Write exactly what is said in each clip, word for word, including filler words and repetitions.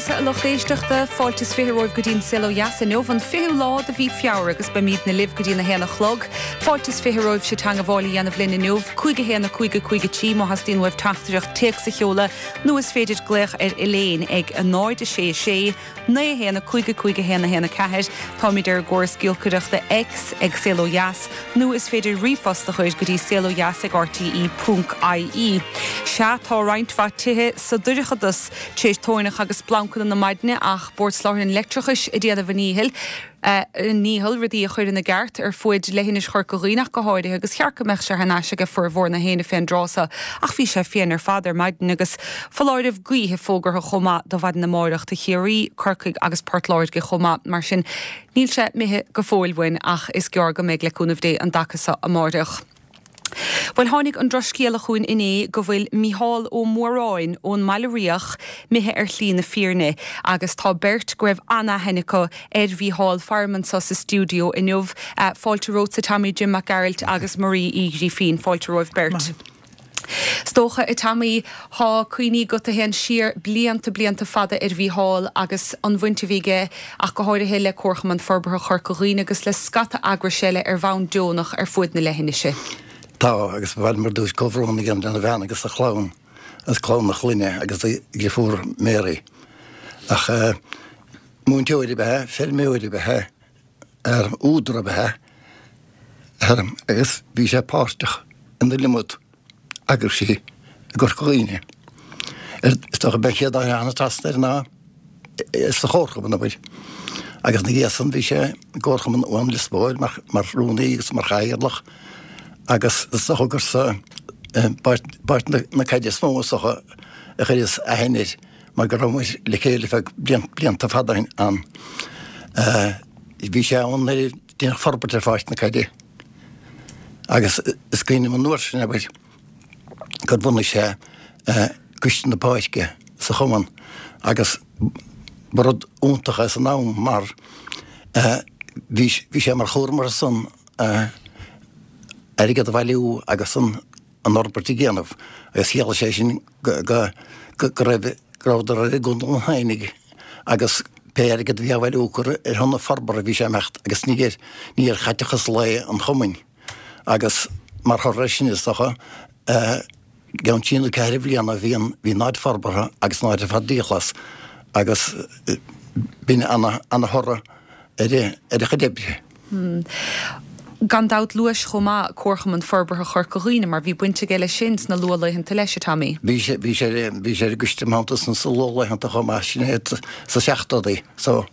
Aonghasa a lucht éisteachta fáilte is fiche romhaibh go dtí an Saol Ó Dheas inniu an fichiú lá de mhí Feabhra agus beimidne libh go dtí a haon a chlog. Fáilte is fiche romhaibh sibh teagmháil a dhéanamh linn inniu, cúig a haon a cúig a cúig a trí má theastaíonn uaibh teachtaireacht téacs a sheoladh nó is féidir glaoch ar Elaine ag a náid a sé sé, naoi haon a cúig a cúig a haon a haon a ceathair, Táimid ar gcóras giolcaireachta X ag Saol Ó Dheas nó is féidir ríomhphost a chur go dtí saolodheas ag RTE ponc IE. Sea tá roinnt mhaith tithe sa dorchadas tar éis toirneach agus splancanna na maidine ach Bord Soláthair an Leictreachais ag déanamh a ndícheall. Uh, ndícheall rudaí a chur ina gceart ar fud leithinis Chorca Dhuibhne go háirithe agus cheart go mbeadh sé in ais ag formhór na héine fén dtráth seo ach bhí sé fiain ar fad ar maidin agus foláireamh gaoithe fógartha chomh maith do mhaidin amárach do Chiarraí, Corcaigh agus Port Láirge chomh maith mar sin níl sé imithe go fóill uainn ach is gearr go mbeidh le cúnamh Dé an dtaca seo amárach. Well tháinig an drochscéala chugainn inné go bhfuil Mícheál Ó Móráin ón mBaile Riach imithe ar shlí na fírinne agus tá beirt go raibh an-aithne acu ar Mhícheál faram anseo sa stiúideo inniu uh, fáilte romhat Tommy Jim Mac Gearailt agus Marie Uí Ghrífín fáilte romhaibh beirt. Is dócha a Tommy tá cuimhní agat a théann siar blianta blianta fada ar Mhícheál agus an bhaint a bhí aige ach go háirithe le Comharchumann Forbartha Chorca Dhuibhne agus le scata eagrais eile ar bhonn deonach ar fud na leithinise. Tá agus bhil mar dúis comhbhrón agam lena bhean agus a chlann as clann na clainne agus deirfiúr Mary. Ach uh, múinteoir ab ea, feirmeoir ab ea, ar údar ab ea, agus bhí sé páirteach in iliomad eagraisí i gCorca Dhuibhne. Is dócha b'é an chéad áit a ná sa Chomharchumann abair. Agus na dhiaidh san bhí sé i gComharchumann Uan Lios Póil mar, mar rúnaí agus mar chathaoirleach agus is dócha gur sa bpáirc na caide is mó is dócha a chuireas aithne air mar go raibh le chéile feadh blianta fada ann. Bhí sé ann nuair a deineadh forbairt ar pháirc na caide. Agus is cuimhin liom an uair sin abair gur bhunaigh sé coiste na páirce sa chumann agus ba rud iontach é san am mar bhí sé mar chúram air san airgead a bhailiú agus an an fhorbairt a dhéanamh agus chiallaigh sé sin go go go raibh go raibh i gContae an Fhéinigh agus pé airgead a bhí á bhailiú gur ar shon na forbartha bhí sé ag imeacht agus ní ar ní ar chaiteachas lae an chumainn agus mar thoradh sin is dócha i gceann trí nó ceithre bhliana bhí an bhí an áit forbartha agus an áit ar fad díghlas agus b'in ana ana thoradh ar ar a chuid oibre. Hmm. Gan dabht luais chomh maith Comharchumann Forbartha Chorca Dhuibhne mar bhí baint aige leis sin sna luathlaethanta leis a Tommy. Bhí sé bhí sé bhí sé gust san sa luathlaethanta chomh maith sin sa seachtóidí so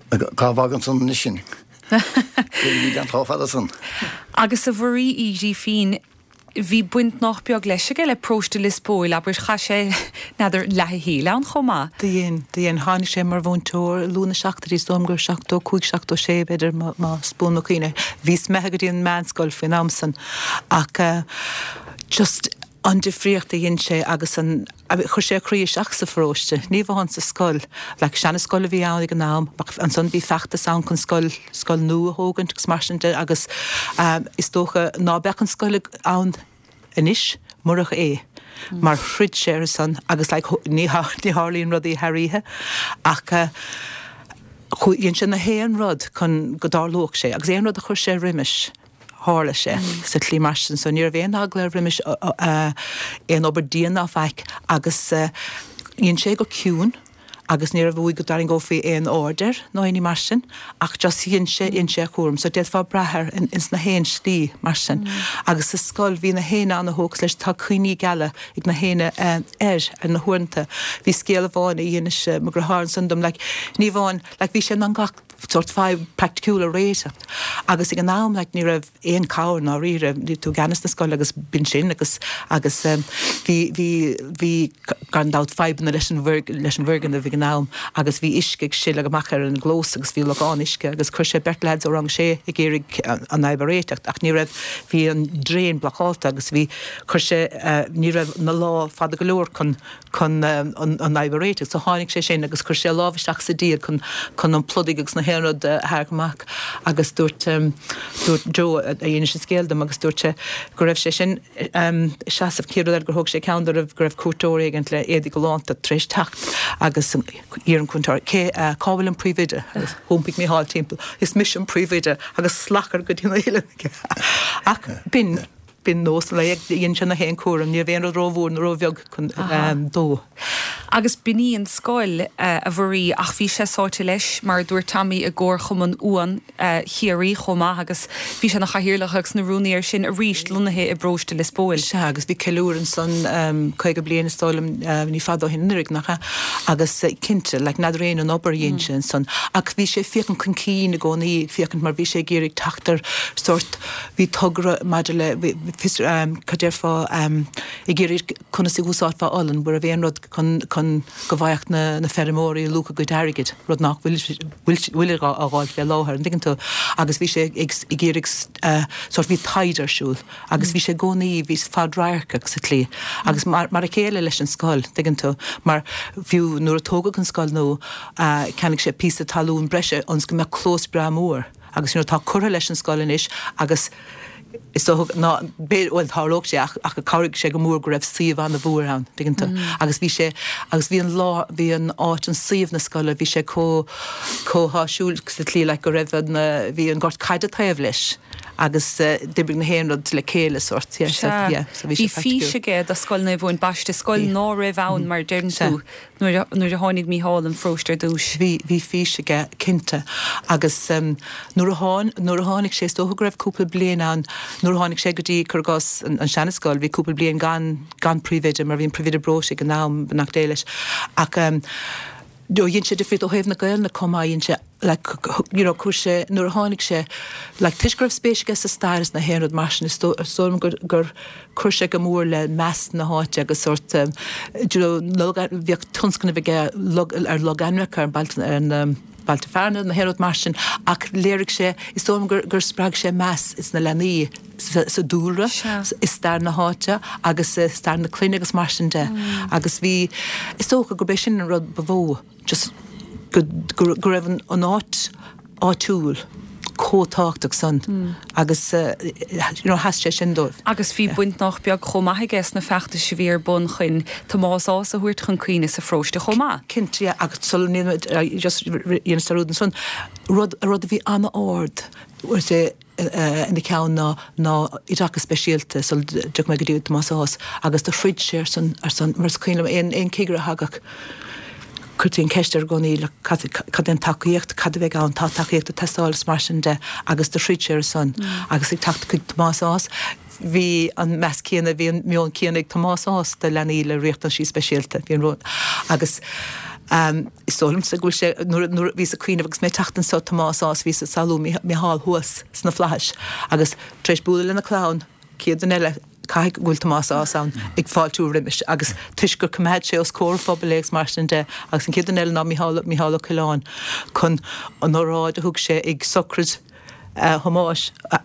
cá bhfágann san anois sin. Bhí an fada san. Agus a Mharie Uí Ghrífín bhí baint nach beag leis aige le paróiste Lios Póil abair chaith sé n'fheadar leath a shaoil ann chomh maith. Dhein dhein tháinig sé mar mhúinteoir luath sna seachtóidí is dóigh liom gur seachtó cúig seachtó sé b'fhéidir más buan mo chuimhne. Bhíos imithe go dtí an meánscoil faoin am san ach uh, just an difríocht a dhein sé agus an chuir sé a chroí isteach sa pharóiste, ní amháin sa scoil, le seanascoil a bhí ann ag an am, ansan bhí feachtas ann chun scoil scoil nua a thógaint agus mar sin de agus um, is dócha ná beadh an scoil ann anois murach é. Mar throid sé ar son agus like, ní ní tharlaíonn rudaí thar oíche ach uh, dhein sé na haon rud chun go dtarlódh sé, agus aon rud a chuir sé roimis. tharla sé sa tslí mar sin so ní raibh aon eagla roimis aon obair dian ná faic agus dhein sé go ciúin agus ní raibh go dtarraingeofaí aon aird air nó aon ní mar sin ach just dhein sé dhein sé a chúram, so d'fhéadfá brath air in, ins na haon slí mar sin. Mm. Agus sa scoil bhí na héinne an-tógtha leis tá cuimhní geala ag na héinne uh, air ar na huaireanta. Bhí scéal amháin a d'inis uh, mo dheartháir ansan dom like, ní amháin like, bhí sé an gach sort fadhb praiticiúil a réiteach. Agus ag an am like, ní raibh aon cabhair ná riire bhí tú i gceannas na scoile agus b'in sin agus agus um, bhí bhí bhí gan dabht fadhbanna leis an leis an bhfoirgneamh ag an am agus bhí uisce ag sileadh amach ar an gclós agus bhí logán uisce agus chuir sé beirt lads ó rang sé ag iarraidh an fhadhb a réiteach ach ní raibh bhí an drain blocáilte agus bhí chuir sé uh, ní raibh na lámha fada go leor chun chun um, an an fhadhb a réiteach so tháinig sé sin agus chuir sé lámh isteach sa díog chun chun an pludaigh agus na haon rud a tharrac amach agus dúirt dúirt Joe a dhéanann sé scéal dom agus dúirt sé go raibh sé sin seasamh céad rud eile gur thóg sé ceann de raibh go raibh cuairteoir éigin le éadaí galánta tar éis teacht agus iarr an cuairteoir cé cá bhfuil an príomhoide agus thiompaigh Mícheál timpeall is mise an príomhoide agus slachar go dtí na huile ach b'in b'in nós le dhein sé na haon cúram ní bhíonn rud rómhór nó róbheag chun dó. Agus b'in í an scoil a Mharie ach bhí sé sáite leis mar dúirt Tommy i gComharchumann Uan Chiarraí chomh maith agus bhí sé ina chathaoirleach agus ina rúnaí air sin arís lonnaithe i bparóiste Lios Póil. Sea agus bhí ceiliúradh ansan caoga bliain is dóigh liom ní fada ó shin anuraidh nach ea agus cinnte like n'fheadar aon an obair a dhein sé ansan ach bhí sé ag féachaint chun cinn i gcónaí ag féachaint mar bhí sé ag iarraidh teacht ar sórt bhí togra maidir le fios cad déarfá ag iarraidh conas a úsáidfeá olann mar a bhí aon rud chun chun go bhfaigheadh na na feirmeoirí a luach a gcuid airgid rud nach bhfuil bhfuil bhfuil á fháil fé láthair an dtuigeann tú agus bhí sé ag ag iarraidh sórt bhí taighde ar siúl agus bhí sé i gcónaí bhí fadradharcach sa tslí agus mar mar a chéile leis an scoil tuigeann tú mar fiú nuair a tógadh an scoil nua cheannaigh sé píosa talún breise ionas go mbeadh clós breá mór agus you know tá curtha leis an scoil anois agus is dócha ná bhuel tharlódh sé ach ach chabhraigh sé go mór go raibh suíomh an-mhór ann tuigeann tú agus bhí sé agus bhí an lá bhí an áit an suíomh na scoile bhí sé chomh chomh háisiúil sa tslí like go raibh an bhí an gort caide taobh leis agus d'oibrigh na haon rud le chéile sórt yeah so yeah so bhí sé fís aige do Scoil Naomh Eoin Baiste scoil ná raibh ann mar deireann tú nuair nuair a tháinig Mícheál an pharóiste ar dtús. Bhí bhí fís aige cinnte agus um, nuair a tháin nuair a tháinig sé is dócha go raibh cúpla bliain ann nuair a tháinig sé go dtí cuir i gcás an, an seanascoil bhí cúpla bliain gan gan príomhoide mar bhí an príomhoide breoite ag an am beannacht Dé leis ach um, do dhein sé difríocht ó thaobh na Gaelainne chomh maith dhein sé like you know chuir sé nuair a tháinig sé like toisc go raibh spéis aige sa stair is na haon rud mar sin is dóigh liom gur gur chuir sé go mór le meas na háite agus sórt um, you know, bhíodh tionscnamh aige log, ar logainmneacha ar bailte ar na bailte fearainn na haon rud mar sin ach léirigh sé is dóigh liom gur, gur spreag sé meas is na leanaí sa, sa dúlra i stair na háite agus i stair na clainne agus mar sin de mm. agus bhí is dócha gurb é sin an rud ba mhó just go, go, go raibh an, an áit áitiúil chomh tábhachtach san mm. agus uh, you know, sheas sé sin dóibh. Agus bhí baint nach beag chomh maith aige sna feachtais a bhí ar bun chun Tomás Ághas a thabhairt chun cuimhne sa pharóiste chomh maith. Cinnte agus sul just dhéanamh rud san rud rud a bhí an-ard sé ina ceann ná ná oideachas speisialta sul dtiocfaidh mé go dtí Tomás Ághas agus do throid sé ar son ar son mar is cuimhin liom aon aon cigire a thagadh chuirtí an ceist air i gcónaí le cad cad é an tacaíocht cad a bheidh ann tá tacaíocht ag teastáil is mar sin de agus do throid sé ar son agus ag teacht chuig Tomás Ághas bhí an meas céanna bhí an meon céanna ag Tomás Ághas do leanaí le riachtanaisí speisialta bhí an rud agus um, is dóigh liomsa go bhfuil sé nuair nuair bhíos ag cuimhneamh agus mé ag teacht anseo Tomás Ághas bhíos ag samhlú Micheál thuas sna flaithis agus tar éis bualadh lena clann céad duine eile caithfidh go bhfuil Tomás Ághas ann ag fáiltiú roimis agus toisc gur choimeád sé os comhair an phobail é agus mar sin de agus an chéad duine eile ná Micheál Micheál Ó Coileáin chun an óráid a thug sé ag sochraid uh, Thomáis a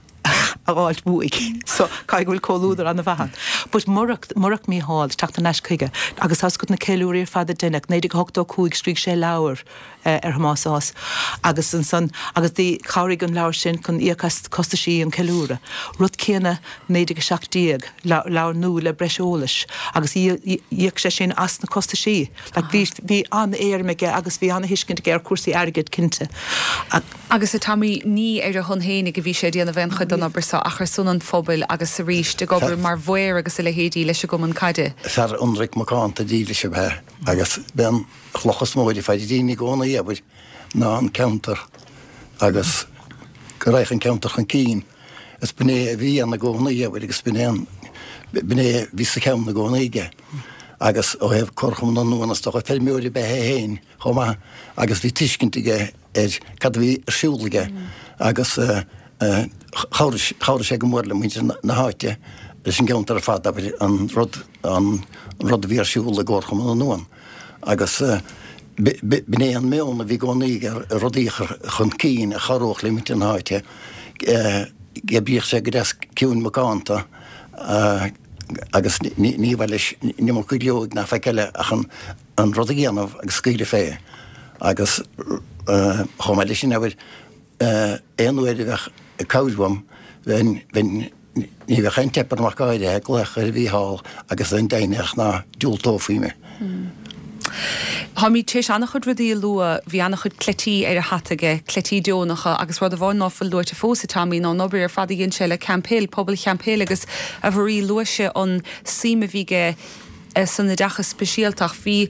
a fháilt uaidh. So caithfidh go bhfuil comhluadar an-mhaith ann. But murach murach Micheál teacht ar ais chuige agus tá na ceiliúraí ar fad a deineadh naoi déag ochtó cúig scrígh sé leabhar uh, ar Thomás Ághas agus ansan agus dí chabhraigh an leabhar sin chun íoc as costaisí an ceiliúradh. Rud céanna naoi déag a seacht déag leabhar nua le breis eolais agus íoc sé sin as na costaisí. Like bhí bhí an-éirim aige agus bhí an-thuiscint aige ar cúrsaí airgid cinnte. Agus a Tommy ní ar a shon fhéinig a bhí sé ag déanamh aon chuid den obair seo ach ar son an phobail agus arís ag obair mar mhaor agus a leithéidí leis an gcumann caide. Fear ionraic macánta dílis ab ea agus b'é an chloch is mó a bhí fá dtín i gcónaí abair ná an ceantar agus go raghadh an ceantar chun cinn. Is b'in é a bhí ann i gcónaí abair agus b'in é an b'in é a bhí sa cheann i gcónaí aige. Agus ó thaobh Comharchumann na nUan is dócha feirmeoir ab ea é féin chomh maith agus bhí tuiscint aige ar cad a bhí ar siúl aige agus chabhraigh sé go mór le muintir na háite leis an gceantar ar fad abair an rud an rud a bhí ar siúl i gComharchumann na nUan. Agus b'in é an meon a bhí i gcónaí aige rudaí a chur chun cinn a chabhródh le muintir na háite. D'oibríodh sé go deas ciúin macánta agus ní mhaith leis an iomarca gleo ná faic eile ach an rud a dhéanamh agus scaoileadh fé. Agus chomh maith leis sin, abair, aon uair a bheadh cabhair uaim, bheinn, bheinn, ní bheadh aon teip orm ach go háirithe, glaoch ar Mhícheál agus bheinn deimhneach ná diúltófaí mé. Táimid tar éis an-chuid rudaí a lua, bhí an-chuid cleití ar a hata aige, cleití deonacha, agus rud amháin ná fuil luaite fós, a Tommy, ná an obair ar fad a dhein sé le Camphill, pobal Champhill agus a Mharie, luaigh sé an suim a bhí aige san oideachas speisialta ach bhí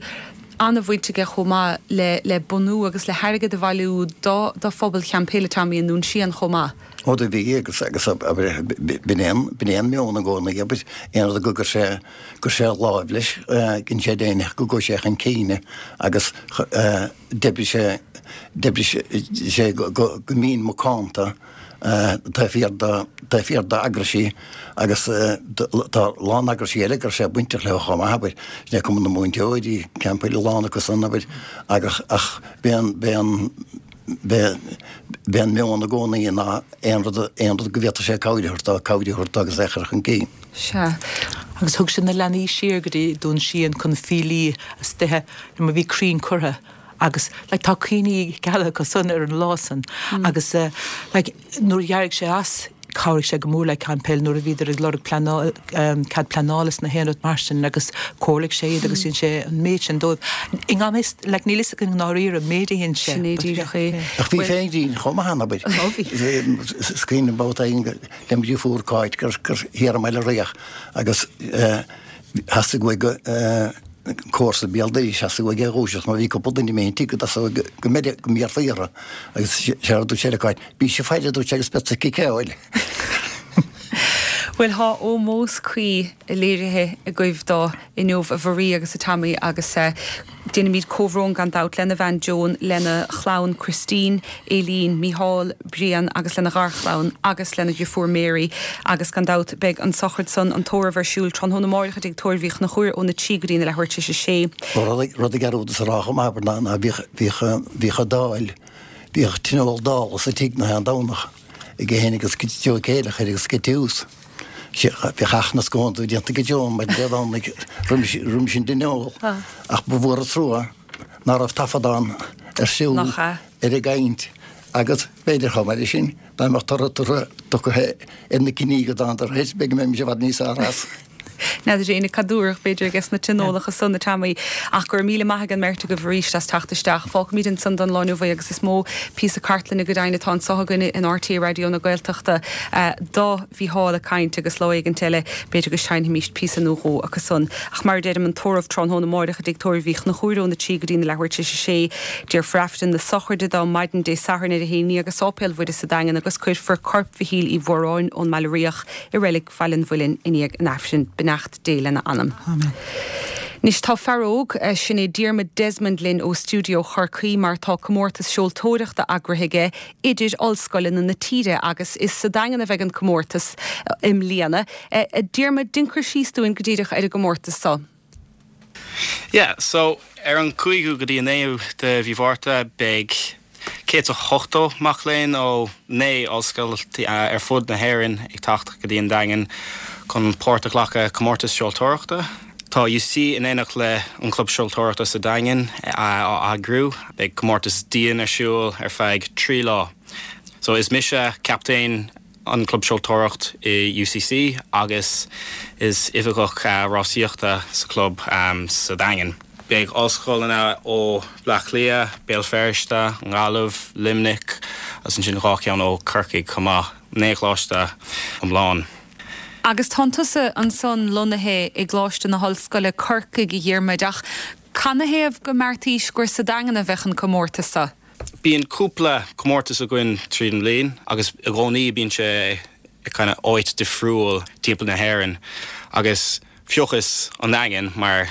an-bhaint aige chomh maith le le bunú agus le hairgead a bhailiú do do phobal Champhill, a Tommy, i nDún Síon chomh maith. Ó do bhí agus agus abair b'in é an b'in é an meon i gcónaí abair aon rud go gcuir sé gcuir sé láimh leis dhein sé deimhneach go gcuaigh sé chun cinn agus d'oibrigh sé d'oibrigh sé go go go mín macánta taobh thiar de taobh thiar d'eagraisí agus tá a lán eagraisí eile go raibh sé bainteach leo chomh maith abair sin é Cumann na Múinteoirí, Camphill a lán acu san abair agus ach b'é an b'é an b'é b'é an meon i gcónaí ná aon rud aon rud go bhféadfadh sé cabhair a thabhairt dó cabhair a thabhairt dó agus é a chur chun cinn. Sea. Agus thug sé na leanaí siar go dtí Dún Síon chun Fílí istoíche mar bhí crainn curtha agus like tá cuimhní geala acu san ar an lá san agus like nuair a d'éirigh sé as chabhraigh sé go mór le Camphill nuair a bhíodar ag lorg pleanáil cead pleanála is na haon rud mar sin agus chomhairligh sé iad agus dhein sé an méid sin dóibh. I ngan fhios like níl fhios againn i ndáiríre an méid a dhein sé. Sin é díreach é. Ach bhí féin grinn chomh maith ann abair. Ó bhí. Is cuimhin liom babhta éigin le mo dheirfiúr Cáit gur gur thiar i mBaile Riach agus theastaigh uaidh go comharsa béal dorais theastaigh uaidh é a dhúiseacht mar bhí cúpla duine imithe ón tigh go dtosódh go mbeir go mbéarfaí orthu agus séard a dúirt sé le Cáit, Bíse ag faire a dúirt sé agus beadsa ag ciceáil. Bhuel tá ómós cuí léirithe agaibh dó inniu a Mharie agus a Tommy agus déanaimid comhbhrón gan dabht lena bhean Joan, lena chlann Christine, Aileen, Mícheál, Brian agus lena gharchlann agus lena dheirfiúr Mary agus gan dabht beidh an sochraid san, an tórramh ar siúl tráthnóna amáireach i dTigh Tórraimh Uí Chonchúir óna trí go dtí na leathuair tar éis a sé. Rud a dhearúdas a rá chomh maith abair ná ná bhíodh bhíodh bhíodh dáil, bhíodh tionól dála sa tigh na haon Domhnach aige féin agus Joe Céileachair agus Tús. Bhíodh achan scóin déanta ag Joan maidin Dé Domhnaigh roimis roimis an dtionól ach ba mhór an trua ná raibh taifeadán ar siúl Nach ea? ar an gcaint agus b'fhéidir chomh maith leis sin dá mbeadh toradh tugtha tugtha ar na cinní go dtángadar air b'fhéidir go mbeimis i bhfad níos fearr as. N'fheadar éinne cad dúradh b'fhéidir aige sna tionólacha san a Tommy ach go raibh míle maith ag an mbeirt agaibh arís as teacht isteach. Fágfaimid ansan don lá inniu é agus is mó píosa cartlainne go deimhin atá anseo againn in RTÉ Raidió na Gaeltachta do Mhícheál ag caint agus lá éigint eile b'fhéidir go seinnfimís píosa nó dhó acu san. Ach mar a deirim an tórramh tráthnóna amáireach i dTigh Tórraimh Uí Chonchúir óna trí go dtí na leathuair tar éis a sé. Déarfar Aifreann na sochraide dó maidin Dé Sathairn ar a haon déag i Sáipéal Mhuire sa Daingean agus cuirfear corp Mhichíl Uí Mhóráin ón mBaile Riach i reilig Bhaile an Mhuilinn i ndiaidh an Aifrinn. Beannacht Dé lena anam. Amen. Anois tá fear óg, sin é Diarmuid Desmond linn ó stiúideo Chorcaí mar tá comórtas seoltóireachta eagraithe aige idir ollscoileanna na tíre agus is sa Daingean a bheidh an comórtas i mbliana. Diarmuid, déan cur síos dúinn go díreach ar an gcomórtas seo. Yeah, so ar an cúigiú go dtí an naoú de mhí Mhárta beidh céad is ochtó mac léinn ó naoi ollscoil ar fud na hÉireann ag teacht go dtí an Daingean chun páirt a ghlacadh comórtas seoltóireachta. Tá UCC in éineacht le an Club Seoltóireachta sa Daingean á eagrú, beidh comórtas dian ar siúl ar feadh trí lá. So is mise captaen an Club Seoltóireacht i UCC agus is oifigeach rásaíochta sa chlub sa Daingean. Beidh ollscoileanna ó Bleá Cliath, Béal Feirste, an Ghaillimh, Luimneach agus ansin dhá cheann ó Corcaigh chomh maith, naoi gcoláiste iomlán. Agus tánn tusa ansan lonnaithe i gColáiste na hOllscoile Corcaigh a Dhiarmuid ach canathaobh go mbeartaís gur sa Daingean a bheadh an comórtas seo? Bíonn cúpla comórtas againn tríd an bhliain agus i gcónaí bíonn sé i kind of áit difriúil timpeall na hÉireann agus phiocas an Daingean mar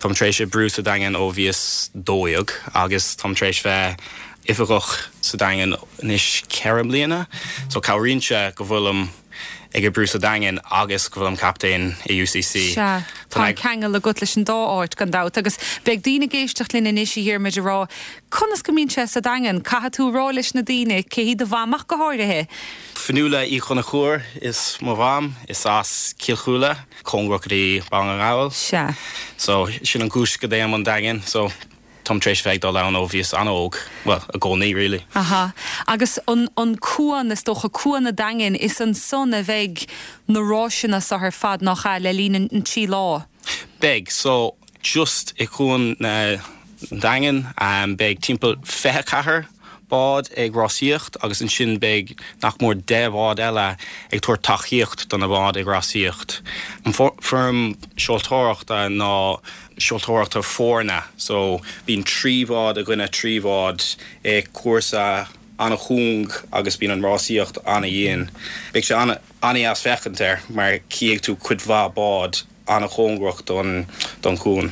táim tar éis oibriú sa Daingean ó bhíos dó dhéag agus táim tar éis bheith oifigeach sa Daingean anois ceithre mbliana so cabhraíonn sé go bhfuilim ag oibriú sa Daingean agus go bhfuilim captaen i UCC. Sea, tá an ceangal agat leis an dá áit gan dabht agus beidh daoine ag éisteacht linn anois a Dhiarmuid ag rá conas go mbíonn sé sa Daingean, caithfidh tú a rá leis na daoine cé hí do mham ach go háirithe. Fionnuala Uí Chonchúir is mo mham, is as Cill Chúile, cóngarach go dtí Baile na nGall. Sea. So sin an chúis go dtéim an Daingean, so Táim tar éis bheith ag dul ann ó bhíos an-óg, well, i gcónaí really. Aha. Agus an, an cuan is dócha cuan an Daingin is ansan a bheidh na rásanna seo ar fad nach ea le linn an trí lá. Beidh, so just i cuan na Daingean um, beidh timpeall fiche ceathair bád ag rásaíocht agus ansin beidh nach mór deich bhád eile ag tabhairt tacaíocht do na báid ag rásaíocht. An foirm seoltóireachta ná seoltóireachta foirne, so bíonn trí bhád i gcoinne trí bhád i cúrsa an-chúng agus bíonn an rásaíocht an-dhian. Beidh sé an-deas féachaint air mar cífidh tú cuid mhaith bád an-chóngarach don don chuan.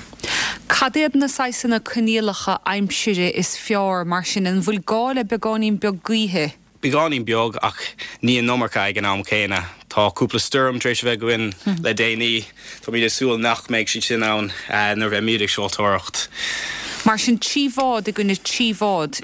Cad iad na saghsanna coinníollacha aimsire is fearr mar sin an bhfuil gá le beagáinín beag gaoithe? Beagáinín beag ach ní an iomarca ag an am céanna. Tá cúpla stoirm tar éis a bheith againn le déanaí Tá mé ag súil nach mbeidh siad sin ann nuair a bheimid ag seoltóireacht. Mar sin trí bhád i gcoinne trí bhád.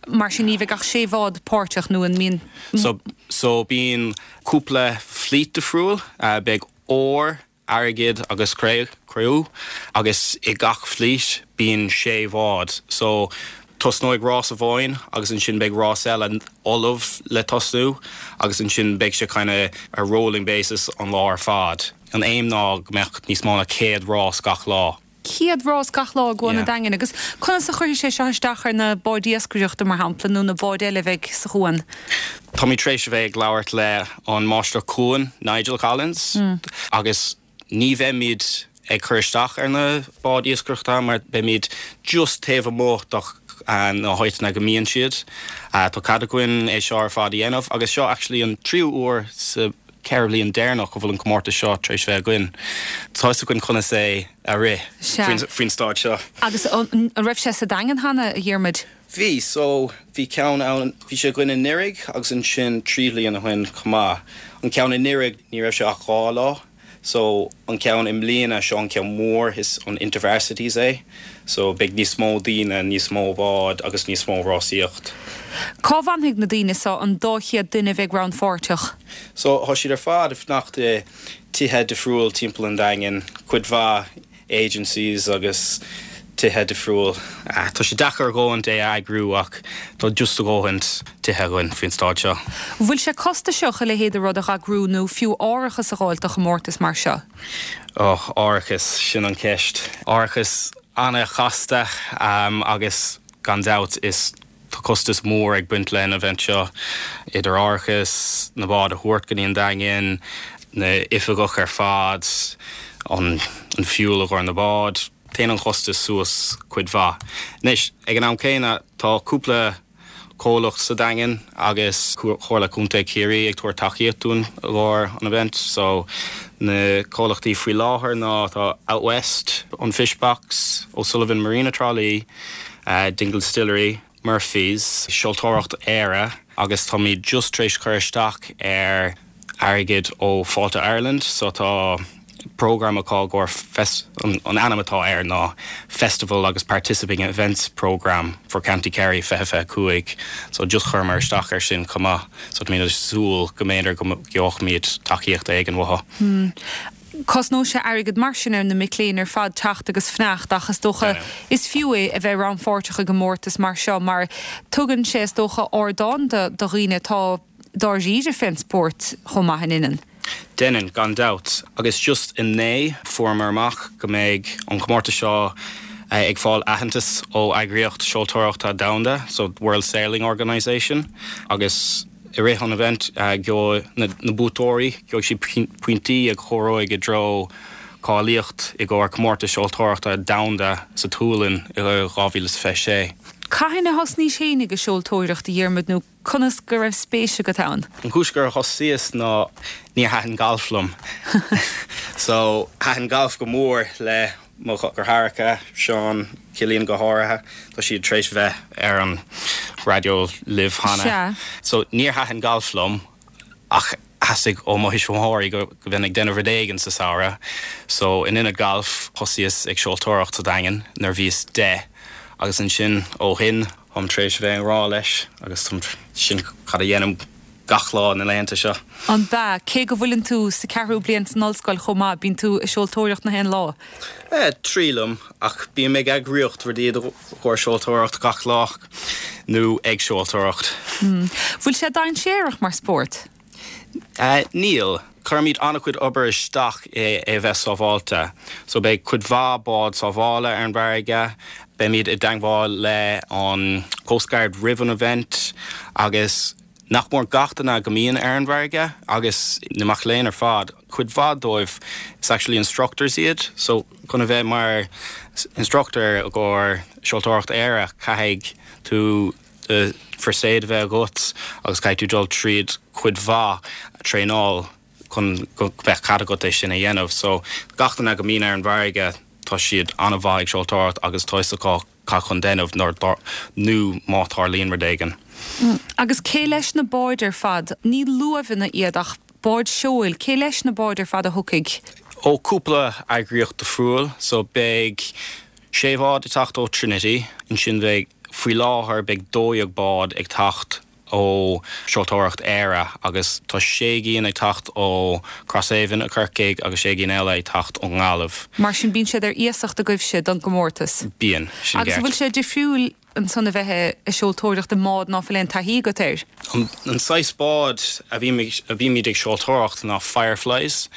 Mar sin ní bheidh ach sé bhád páirteach nó an mbíonn. So, so bíonn cúpla fleet difriúil, uh, beidh ór, airgead agus cré-umha agus i gach fleet bíonn sé bhád. So tosnóidh rás amháin agus ansin beidh rás eile ullamh le tosnú agus ansin beidh sé kind of a rolling basis an lá ar fad. An aim ná go mbeadh níos mó ná céad rás gach lá. Céad rás gach lá i gCuan an Daingin agus conas a chuirfidh sé seo isteach ar na báid iascaireachta mar shampla nó na báid eile a bheidh sa chuan. Tá mé tar éis a bheith ag labhairt le an máistir cuain Nigel Collins mm. agus ní bheimid ag cur isteach ar na báid iascaireachta mar beimid just taobh amuigh de na háiteanna go mbíonn siad. Uh, tá cead againn é seo ar fad a dhéanamh agus seo actually an tríú huair sa ceithre bliana deireanach go bhfuil an comórtas seo tar éis bheith againn. Tá againn conas é a rith faoin staid seo. Agus an raibh sé sa Daingean cheana a Dhiarmuid? Bhí so bhí ceann ann bhí sé againn anuraidh agus ansin trí bliana ó shin chomh maith. An ceann anuraidh ní raibh sé ach dhá lá, so an ceann i mbliana seo an ceann mór is an InterVarsities é, so beidh níos mó daoine níos mó bád agus níos mó rásaíocht. Cá bhfanfaidh na daoine seo an dá chéad duine a bheidh rannpháirteach? So tá siad ar fad ag fanacht i tithe difriúil timpeall an Daingin, cuid mhaith agencies agus tithe difriúil. Ah, tá sé deacair a dhóthain é a eagrú ach tá just a dhóthain tithe againn faoin staid seo. Bhfuil sé costasach a leithéid de rud a eagrú nó fiú árachas a fháil do chomórtas mar seo? Oh, árachas sin an ceist. Árachas an-chasta um, agus gan dabht is tá costas mór ag baint leis an event seo idir árachas na báid a thabhairt go dtí an Daingean, na oifigigh ar fad, an, an fuel a chur na báid, Téann an costas suas cuid mhaith. Anois ag an am céanna tá cúpla comhlacht sa Daingean agus Comhairle Contae Chiarraí ag tabhairt tacaíocht dúinn lár an event, so na comhlachtaí faoi láthair ná tá Out West, an Fishbox, O'Sullivan Marina Tralee, uh, Dingle Distillery, Murphy's, Seoltóireacht Éire agus tá mé just tar éis cur isteach ar airgead ó Fáilte Ireland, so tá program atá gur an, an ainm atá air ná Festival agus Participating Events Program for County Kerry fiche fiche cúig, so just chuireamar isteach ar sin chomh maith, so tá mé ag súil go mb'fhéidir go gheobhaimid tacaíocht éigin uathu. Hmm. Cosnóidh sé airgead mar sin ar na mic léinn ar fad teacht agus fanacht ach is dócha is fiú é a bheith rannpháirteach i gcomórtas mar seo mar tugann sé is dócha ardán do dhaoine atá dáiríre fén spórt chomh maith in innin. Déanann gan dabht agus just inné fuaireamar amach go mbeidh an comórtas seo ag fáil aitheantas ó eagraíocht seoltóireachta domhanda, so World Sailing Organization, agus i rith an event gheobhaidh na, na buaiteoirí, gheobhaidh siad pointí a chuirfidh i dtreo cáilíocht i gcomhair comórtas seoltóireachta domhanda sa tSualainn i dhá mhíle is fiche sé. Cathain a thosnaís féin ag seoltóireacht a Dhiarmuid nó conas go raibh spéis agat ann? An chúis gur thosaíos ná níor thaitin galf liom. So thaitin galf go mór le mo dheartháireacha Seán Cillian go háirithe, Tá siad tar éis bheith ar an raidió libh cheana. So níor thaitin galf liom ach theastaigh ó mo thuismitheoirí go go mbeinn ag déanamh rud éigin sa samhradh. So in ionad galf thosaíos ag seoltóireacht sa Daingean nuair bhíos deich agus ansin ó shin táim tar éis bheith i ngrá leis agus sin cad a dhéanaim gach lá na laethanta seo. An bea, cé go bhfuileann tú sa ceathrú bliain san ollscoil chomh maith, bíonn tú ag seoltóireacht na haon lá? Eh, triailim, ach bím ag eagraíocht rudaí i gcomhair seoltóireacht gach lá nó ag seoltóireacht. Bhfuil sé dainséarach mar spórt? Uh, níl. Cuirimid an-chuid obair isteach é é bheith sábháilte. So beidh cuid mhaith bád sábhála ar an bhfarraige, beimid i dteagmháil le an Coast Guard roimh an event agus nach mór gach duine go mbíonn ar an bhfarraige agus na mic léinn ar fad. Cuid mhaith dóibh is actually instructors iad, so chun a bheith mar instructor i gcomhair seoltóireacht Éire caithfidh tú uh, first aid a bheith agat agus caithfidh tú dul tríd cuid mhaith traenáil chun go bheith cead agat é sin a dhéanamh. So gach duine go mbíonn ar an bhfarraige tá siad an-mhaith ag seoltóireacht agus tá a fhios acu cad chun déanamh nuair nó má tharlaíonn rud éigin. Agus cé leis na báid ar fad, ní luamhanna iad ach báid seoil, cé leis na báid ar fad a thiocfaidh? Ó cúpla eagraíocht difriúil, so beidh sé bhád ag teacht ó Trinity, ansin bheidh faoi láthair beidh dó dhéag bád ag teacht ó Seoltóireacht Éire agus tá sé gcinn ag teacht ó Crosshaven i Corcaigh agus sé gcinn eile ag teacht ón nGaillimh. Mar sin bíonn siad ar iasacht agaibhse don gcomórtas. Bíonn sin Agus bhfuil sé difriúil ansan a bheith ag seoltóireacht i mbád ná fuil aon taithí agat air? An, an saghas bád a bhímid ag seoltóireacht ná Fireflies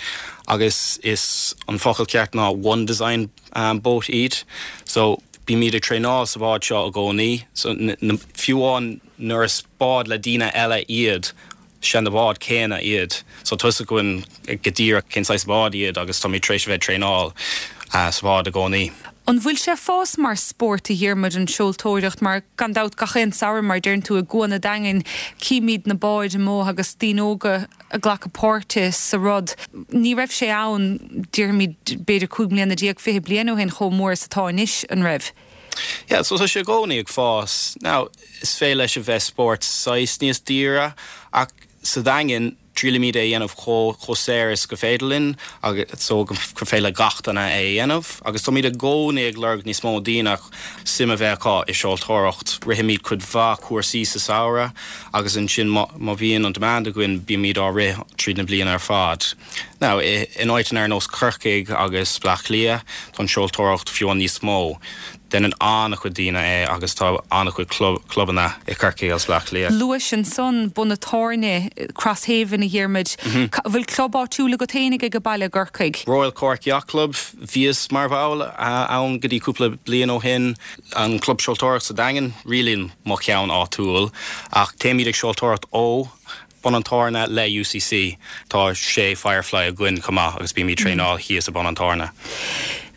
agus is an focal ceart ná one design um, boat iad. So bímid ag traenáil sa bhád seo i gcónaí, so fiú amháin nuair is bád le daoine eile iad sé na bád céanna iad. So tá a fhios againn go díreach cén saghas bád iad agus tá tar éis bheith traenáil uh, sa bhád i gcónaí. An bhfuil sé fós mar spórt a Dhiarmuid an seoltóireacht mar gan dabht gach aon samhradh mar deireann tú i gCuan an Daingin címid na báid amuigh agus daoine óga ag glacadh páirte sa rud. Ní raibh sé ann déarfaimid b'fhéidir cúig bliana déag fiche bliain ó shin chomh mór is atá anois an raibh. Yeah, so tá sé i gcónaí ag fás. Now, is féidir leis a bheith spórt saghas níos daoire ach sa Daingean triailimid é dhéanamh chomh saor is go féidir linn agus so go féidir le gach duine é dhéanamh, agus táimid i gcónaí ag lorg níos mó daoine suim a bheith acu i seoltóireacht. Rithimid cuid mhaith cúrsaí sa samhradh agus ansin má bhíonn an demand againn bímid á rith tríd na bliana ar fad. Now, in áiteanna ar nós Corcaigh agus Bleá Cliath tá an seoltóireacht fiú níos mó. Déanann an-chuid daoine é agus tá an-chuid clubanna i Corcaigh agus Bleá Cliath. Luais ansan Bun an Tábhairne Crosshaven a Dhiarmuid. Bhfuil club áitiúil agat féinig ag baile i gCorcaigh. Royal Cork Yacht Club bhíos mar bhall ann go dtí cúpla bliain ó shin an club seoltóireacht sa Daingean really mo cheann áitiúil ach téimid ag seoltóireacht ó Bun an Tábhairne le UCC tá sé Firefly againn chomh maith agus bímid traenáil thíos i Bun an Tábhairne.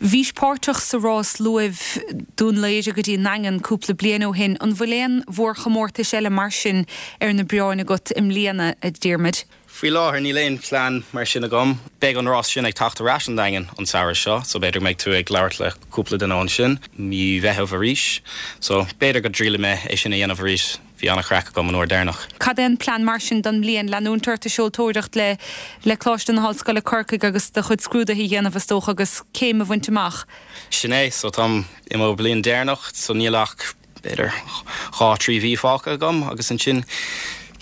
Bhís páirteach sa rás luaimh Dún Laoghaire go dtí an Daingean cúpla bliain ó shin, an bhfuil aon mhórchomórtais eile mar sin ar na bioráin agat i mbliana a Dhiarmuid. Faoi láthair níl aon plean mar sin agam, beidh an rás sin ag teacht ar ais an Daingean an samhradh seo, so b'fhéidir mbeidh tú ag labhairt le cúpla duine ansin mí Mheithimh arís, so b'fhéidir go dtriailfidh mé é sin a dhéanamh arís. Bhí an-chraic agam an uair deireanach. Cad é an plean mar sin don mbliain leanúint ort ag seoltóireacht le le Coláiste na hOllscoile Corcaigh agus do chuid scrúduithe a dhéanamh is dócha agus céim a bhaint amach. Sin é, so táim i mo bliain deireanach, so níl ach b'fhéidir dhá trí mhí fágtha agam agus ansin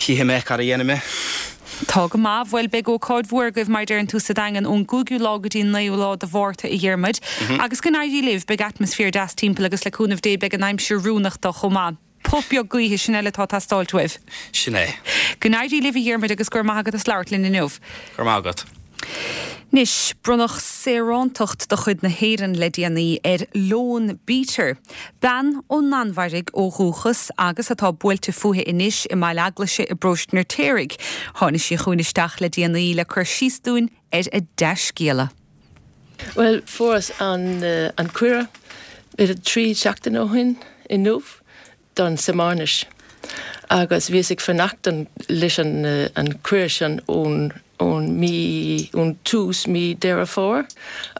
cífidh mé cad a dhéanfaidh mé. Tá go maith bhuel beidh ócáid mhór agaibh mar deireann tú sa Daingean ón gcúigiú lá go dtí naoú lá de Mhárta a Dhiarmuid. Agus go n-éirí libh beidh atmaisféar deas timpeall agus le cúnamh Dé beidh an aimsir oiriúnach dó chomh maith. Puth beag gaoithe sin eile atá ag teastáil uaibh. Sin é. Go n-éirí libh a Dhiarmuid agus go raibh maith agat as labhairt linn inniu. Go raibh maith agat. Anois bronnadh saorántacht de chuid na hÉireann le déanaí ar Lone Beater, bean ón Danmhairg ó dhúchas agus atá buailte fúithi anois i mBaile Eaglaise i bparóiste an Fheirtéaraigh. Tháinig sí chugainn isteach le déanaí le cur síos dúinn ar a dea-scéala. Well fuaireas an uh, an cuireadh b'fhéidir trí seachtain ó shin inniu don Samánis. Agus bhíos ag fanacht leis an, uh, an cuireadh sin ón ón mí ón tús mí Deireadh Fómhair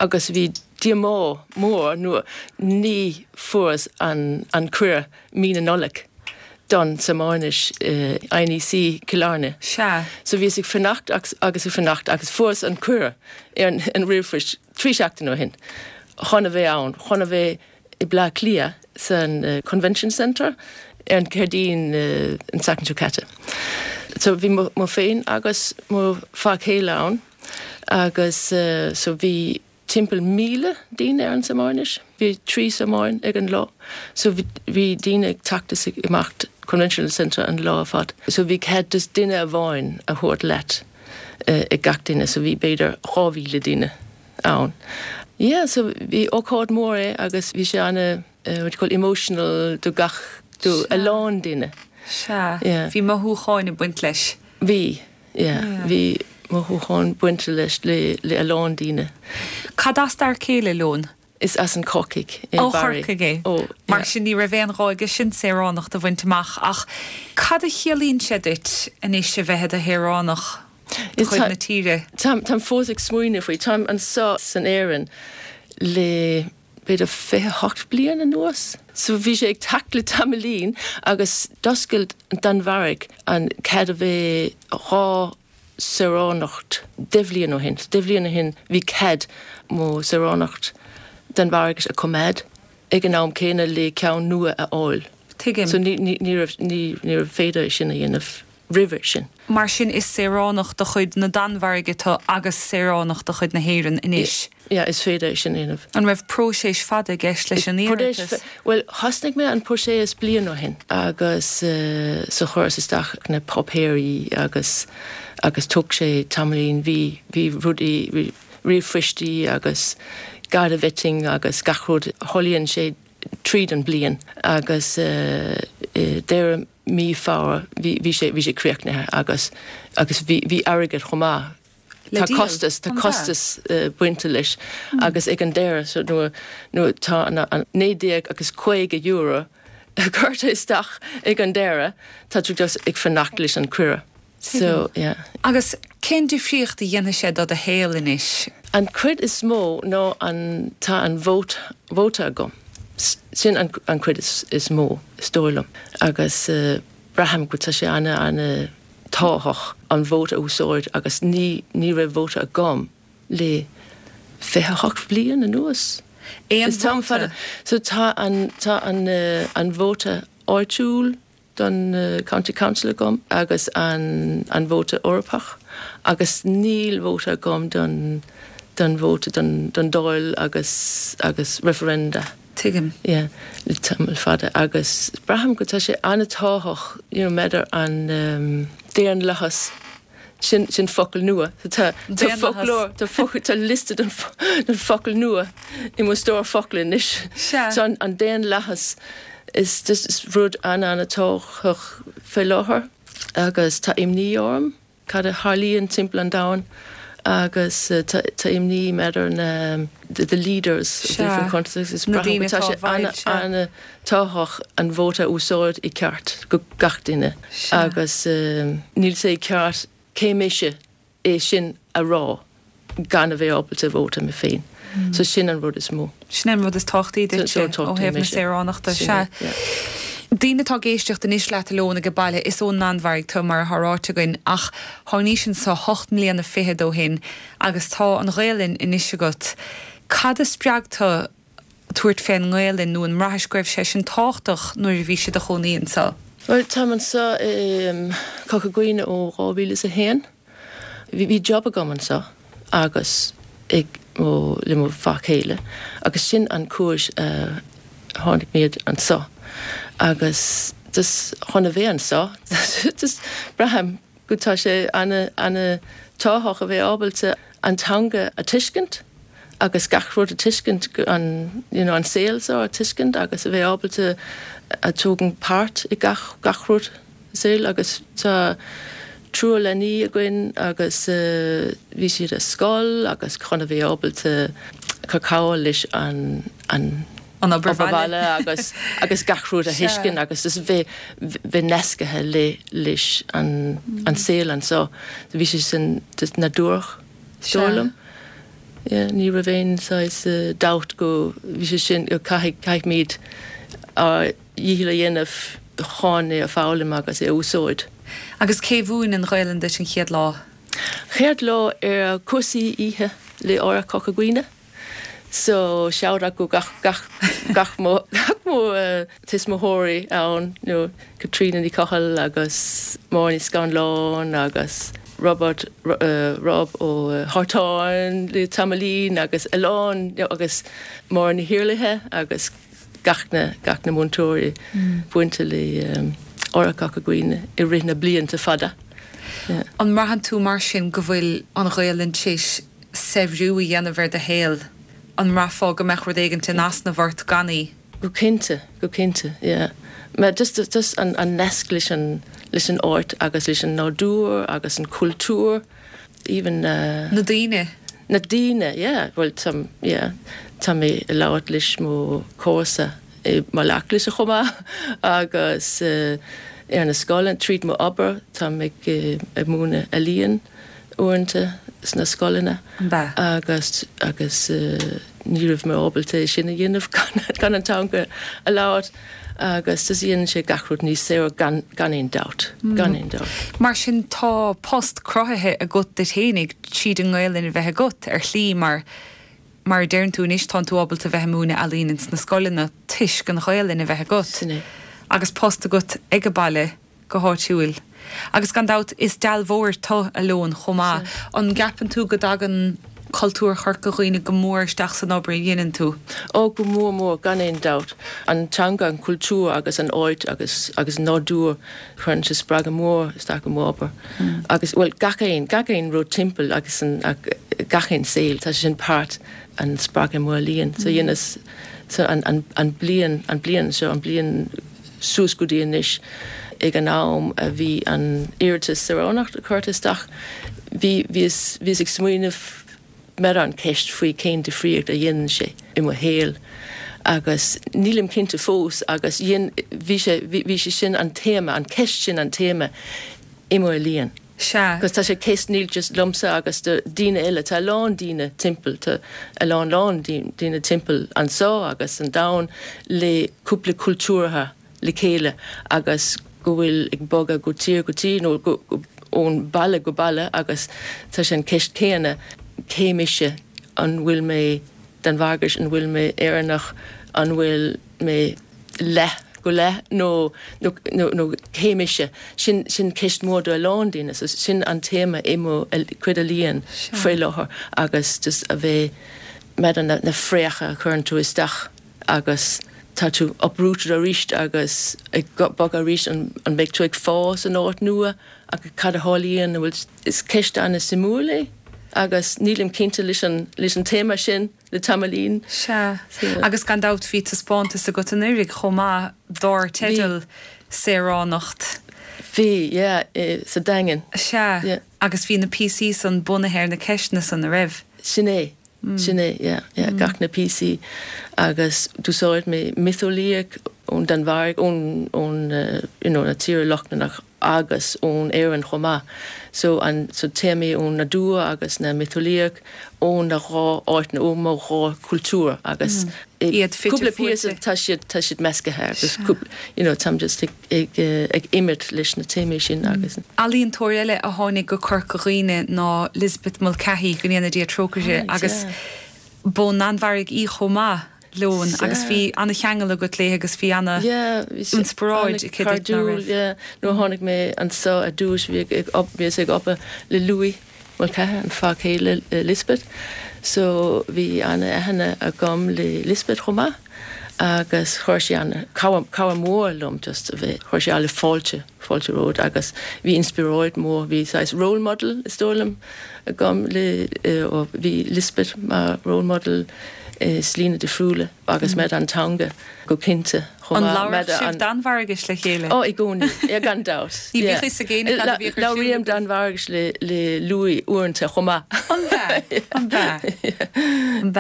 agus bhí díomá mór nuair ní fuaireas an, an cuireadh mí na Nollag don Samánis uh, INEC Cill Airne. Sea. So bhíos ag fanacht agus, agus ag fanacht agus fuaireas an cuireadh ar an, an ríomhphost trí seachtain ó shin. Chun a bheith ann, chun a bheith i Bleá Cliath san uh, Convention Centre ar an Céadaoin uh, an tseachtain seo caite. So bhí mo féin agus mo fear céile ann agus uh, so bhí timpeall míle daoine ar an searmanas, bhí trí searmanas ag an lá, so bhí daoine ag teacht is ag imeacht Convention Centre an lá ar fad. So bhí cead just duine amháin a thabhairt leat uh, ag gach duine, so bhí b'fhéidir dhá mhíle duine ann. Yeah, so bhí ócáid mór é agus bhí sé ana uh, what you call emotional do gach do a lán duine. Sea, bhí mothúcháin ag baint leis. Bhí, yeah, bhí mothúcháin bainte leis le le a lán daoine. Cad as d'fhear céile Leon? Is as an Corcaigh é Ó Chorcaigh é. Ó, Mar sin ní raibh aon ghá aige sin saoránacht a bhaint amach ach cad a chiallaíonn sé duit anois a bheith i do shaoránach de chuid na tíre? Táim táim fós ag smaoineamh faoi táim anseo san Éirinn le b'fhéidir fiche hocht bliain anuas. So bhí sé ag teacht le tamaillín agus d'oscail an Danmhairg an cead a bheith dhá saoránacht deich mbliana ó shin. Deich mbliana ó shin bhí cead mo saoránacht Danmhairgis a choimeád ag an am céanna le ceann nua a fháil. Tuigim. So ní ní ní raibh ní ní raibh féidir sin a dhéanamh roimhe sin. Mar sin is saoránach de chuid na Danmhairge tú agus saoránach de chuid na hÉireann anois. Yeah, is féidir sin a dhéanamh. An raibh próiseas fada i gceist leis an iarratas? Well, thosnaigh mé an próiseas bliain ó shin agus uh, so chuireas isteach na páipéirí agus agus thóg sé tamaillín bhí bhí rudaí ríomhphoistí agus Garda vetting agus gach rud tharlaíonn sé tríd an bliain agus uh, uh, deireadh mí Feabhra bhí bhí sé bhí sé críochnaithe agus agus bhí bhí airgead chomh maith. Le Tá díol, costas tá an costas uh, bainte leis agus ag an deireadh so nuair nuair tá an an naoi déag agus caoga euro curtha isteach ag an deireadh tá tú just ag fanacht leis an cuireadh. So yeah. Agus cén difríocht a dhéanfaidh sé do do shaol anois? An chuid is mó ná an tá an vote vóta agam. Sin an, an chuid is, is mó is dóigh liom. Agus uh, braithim go tá sé ana ana tábhachtach an vóta a úsáid agus ní ní raibh vóta agam le fiche hocht bliain anuas. Aon Is tam vóta? fada. So tá an tá an uh, an vóta áitiúil don uh, County Council agam agus an an vóta Eorpach agus níl vóta agam don don vóta don don Dáil agus agus referenda. Tuigim. Yeah, le tamall fada agus braithim go tá sé an-tábhachtach you know, maidir an um, daonlathas sin sin focal nua. So tá tá Daonlathas. foclóir tá focal tá liosta den den focal nua i mo stór focal anois. Sea. So an, an daonlathas is just is rud an an-tábhachtach fé láthair agus tá imní orm cad a tharlaíonn timpeall an domhain agus uh, tá tá imní maidir na the, the leaders of Sea. different countries is Na braithim daoine go tá atá sé i bhfeighil, sea. ana tábhachtach an vóta a úsáid i ceart go gach duine Sea. agus um, níl sé ceart cé mise é sin a rá gan a bheith ábalta vóta mé féin. Mm. So sin an rud is mó. Sin an rud is tábhachtaí duit So- so ó tábhachtaí thaobh na mise. saoránachta Sin sea. é, yeah. Daoine atá ag éisteacht anois leat Leon ag baile is ón Danmhairg tú mar atá ráite againn ach tháinig anseo ocht mbliana fichead ó shin agus tá an Ghaelainn anois agat. Cad a spreag tú tabhairt fén nGaelainn nó an mbraithis go raibh sé sin tábhachtach nuair a bhí sé do chónaí anseo. Well tá anseo um, Corca Dhuibhne ó dhá mhíle is a haon. Bhí bhí job agam anseo agus ag mo le mo fear céile agus sin an chúis uh, tháinig muid anseo agus dus chun a bheith anseo dus braithim go tá sé ana ana tábhachtach a bheith ábalta an teanga a tuiscint agus gach rud a tuiscint go- an you know, an saol seo a tuiscint agus a bheith ábalta a tógáil páirt i gach gach rud saol agus tá triúr leanaí againn agus uh, bhí siad ar scoil agus chun a bheith ábalta cur cabhair leis an an An obair obair bhaile. bhaile agus agus gach rud a Sea. thuiscint agus is bheith bheith nasctha le leis an an saol anseo bhí sé sin just nádúrach Sea. dóigh liom. Yeah, ní raibh aon saghas uh, dabht go bhí sé sin go caithfidh caithfimid ár ndícheall a dhéanamh chun é a foghlaim agus é a úsáid. Agus cé mhúin an Ghaelainn duit an chéad lá? Chéad lá ar cúrsaí oíche le Áras Chorca Dhuibhne. So shout out go gach gach gach mo gach mo uh, tuismitheoirí ann nó Katrina Ní Chochail agus Máire Ní Scanláin agus Robert uh, Rob ó uh, Hartáin le tamaillín agus a lán you know, agus Máire Ní Shirlithe agus gach na gach na múinteoirí mm. buinte le um, Áras Chorca Dhuibhne i rith na blianta fada. Yeah. An mbraitheann tú mar sin go bhfuil an Ghaelainn théis saibhriú a dhéanamh ar do shaol an mbraithfeá go mbeadh rud éigin in easnamh ort gan í? Go cinnte, go cinnte, yeah. Mar just, just an, an nasc leis an, leis an áit agus leis an nádúr agus an cultúr, even uh, Na daoine. Na daoine, yeah, well tá yeah, tá mé ag labhairt leis mo chomharsa i Maigh chomh maith agus uh, ar na scoileanna tríd mo obair tá mé ag ag múineadh ealaíon uaireanta sna scoileanna agus agus uh, ní raibh mé ábalta sin a dhéanamh gan an teanga a labhairt agus tá dhéanann sé gach rud níos saoire gan gan aon dabht mm. gan aon dabht. Mar sin tá post cruthaithe agat duit fhéinig tríd an nGaelainn a bheith agat ar shlí mar mar deireann tú anois tá tú ábalta bheith múineadh ealaíon sna scoileanna toisc an Ghaelainn a bheith agat. Sin é. Agus post agat ag an baile go háitiúil. Agus gan dabht is dealbhóir tú a Leoin chomh maith an gceapann tú go dtagann cultúr Chorca Dhuibhne go mór isteach san obair a dhéanann tú. Ó go mór mór gan aon dabht an teanga an cultúr agus an áit agus agus nádúr chuireann sé spreagadh mór isteach i m'obair. Mm. Agus well gach aon gach aon rud timpeall agus an gach aon saol tá sin páirt an spreagadh mór líon so dhéanas so an, an, an bliain an bliain seo an bliain suas go dtí anois ag an am a bhí an iarratas saoránacht curtha isteach bhí bhí ag smaoineamh mar an ceist faoi cén difríocht a dhéanann sé i mo shaol agus nílim cinnte fós agus bhí sé bhí sé sin an téama an ceist sin an téama i mo ealaíon. Sea. Agus tá sé ceist níl just liomsa agus do daoine eile tá lán daoine timpeall tá a lán lán daoine timpeall anseo agus an domhan le cúpla cultúrtha le chéile agus go bhfuil ag bogadh go tír go tír nó ón baile go baile agus tá sé an ceist céanna cé mise an bhfuil mé Danmhargach an bhfuil mé Éireannach an bhfuil mé leith go leith nó nó nó cé mise sin sin ceist mór do a lán daoine so sin an téama i mo chuid ealaíon faoi láthair agus just a bheith med na, na frécha chuireann tú isteach agus tá tú uprooted arís agus ag bogadh arís an, an mbeidh tú ag fás an áit nua agus cad a tharlaíonn bhfuil is ceist an-suimiúil é agus nílim cinnte leis an leis an téama sin le tamaillín. Sea. Agus gan dabht bhí taispeántas agat anuraidh chomh maith dar teideal saoránacht. Bhí yeah, sa Daingean. Sea. Yeah. Agus bhí na píosaí san bunaithe ar na ceisteanna san a raibh. Sin é. Mm. Sin é yeah, yeah, mm. gach na píosaí agus d'úsáid mé miotaseolaíocht ón Danmhairg ón ón uh, you know, na tíre Lochlannach agus ón Éirinn chomh maith. So an so téamaí ón nádúr agus na miotaseolaíocht ón na dhá áit na ó dhá cultúr agus mm. iad cúpla píosa tá siad tá siad measctha agus you know, táim just ag ag, ag imirt leis na téamaí sin mm. agus. Ealaíontóir eile a tháinig go Corca Dhuibhne ná Lisbeth Mulcahy go ndéana Dia trócaire agus yeah. b'ón Danmhairg í chomh maith Leoin agus bhí an-cheangal agat léi agus bhí ana inspioráid nó tháinig mé anseo ar dtús bhí bhí ag obair le Louis Mulcahy an fear céile Lisbeth, so bhí an-aithne agam le Lisbeth chomh maith agus chuir sí an cabhair mór liom just a bheith chuir sí alle fáilte fáilte romhat agus bhí inspioráid mór bhí saghas role model is dóigh liom agam le ó bhí Lisbeth mar role model i slí difriúla agus mm. med an teanga go cinnte An labhair Danmhairgis le chéile? Ó i gcónaí é gan dabht. Ní bhí sa géine Labhraím Danmhairgis le le Louis uaireanta chomh maith. An An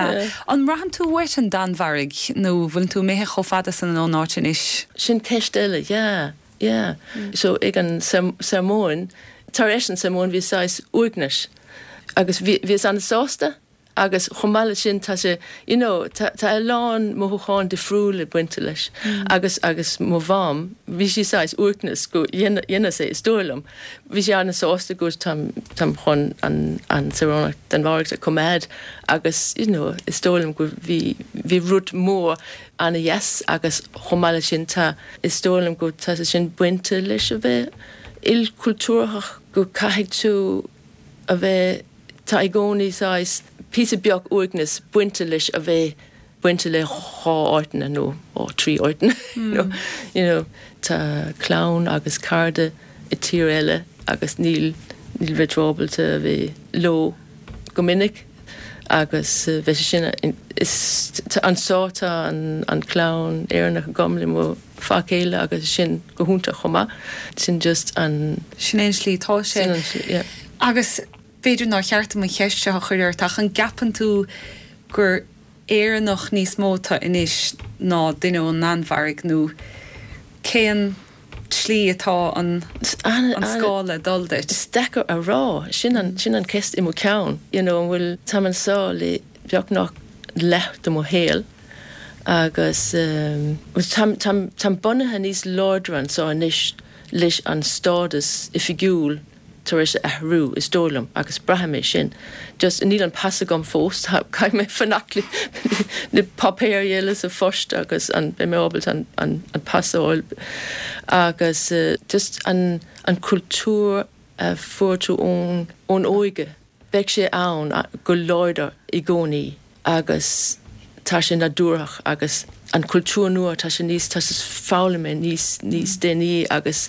An mbraitheann tú uait an Danmhairg nó bhfuil tú imithe chomh fada san ón áit anois? Sin ceist eile, yeah, yeah. Mm. So ag an searmanas tar éis an searmanas bhí saghas uaigneas agus bhí an-sásta Agus chomh maith leis sin tá sé you know tá tá a lán mothúcháin difriúla bainte leis mm. agus agus mo mham bhí sí saghas uaigneas go dhéanfadh sé is dóigh liom. Bhí sí an-sásta go táim táim chun an an saoránacht Danmhairg a choimeád agus you know is dóigh liom go bhí bhí rud mór an-dheas agus chomh maith leis sin tá is dóigh liom go tá sé sin bainte leis a bheith ilchultúrthach go caithfidh tú a bheith tá i gcónaí saghas píosa beag uaigneas bainte leis a bheith bainte le dhá áiteanna nó ó trí áiteanna mm. you know tá clann agus cairde i tír eile agus níl níl bheith ábalta a bheith leo go minic agus uh, bheith sin is anseo tá an an clann Éireannach agam le mo fear céile agus sin go hiontach chomh maith sin just an Sin é an slí tá sé. Sin an slí, yeah. Agus b'fhéidir nár cheart dom an cheist seo a chur ort ach an gceapann tú gur Éireannach níos mó tú anois ná duine ón Danmhairg nó cén tslí atá an an scála dul duit? Is deacair a rá sin an sin an ceist i mo cheann you know an bhfuil táim anseo le beagnach leath de mo shaol agus um, táim táim táim bunaithe níos láidre anseo anois leis an stádas oifigiúil tar éis athrú is dóigh liom agus braithim é sin. Just níl an pas agam fós caithfidh mé fanacht le le páipéir eile sa phost agus an beidh mé ábalta an an an pas a fháil agus uh, just an an cultúr a fuair tú ón ón óige. Beidh sé ann go láidir i gcónaí agus tá sé nádúrach agus an cultúr nua tá sé níos tá sé foghlaim níos níos déanaí agus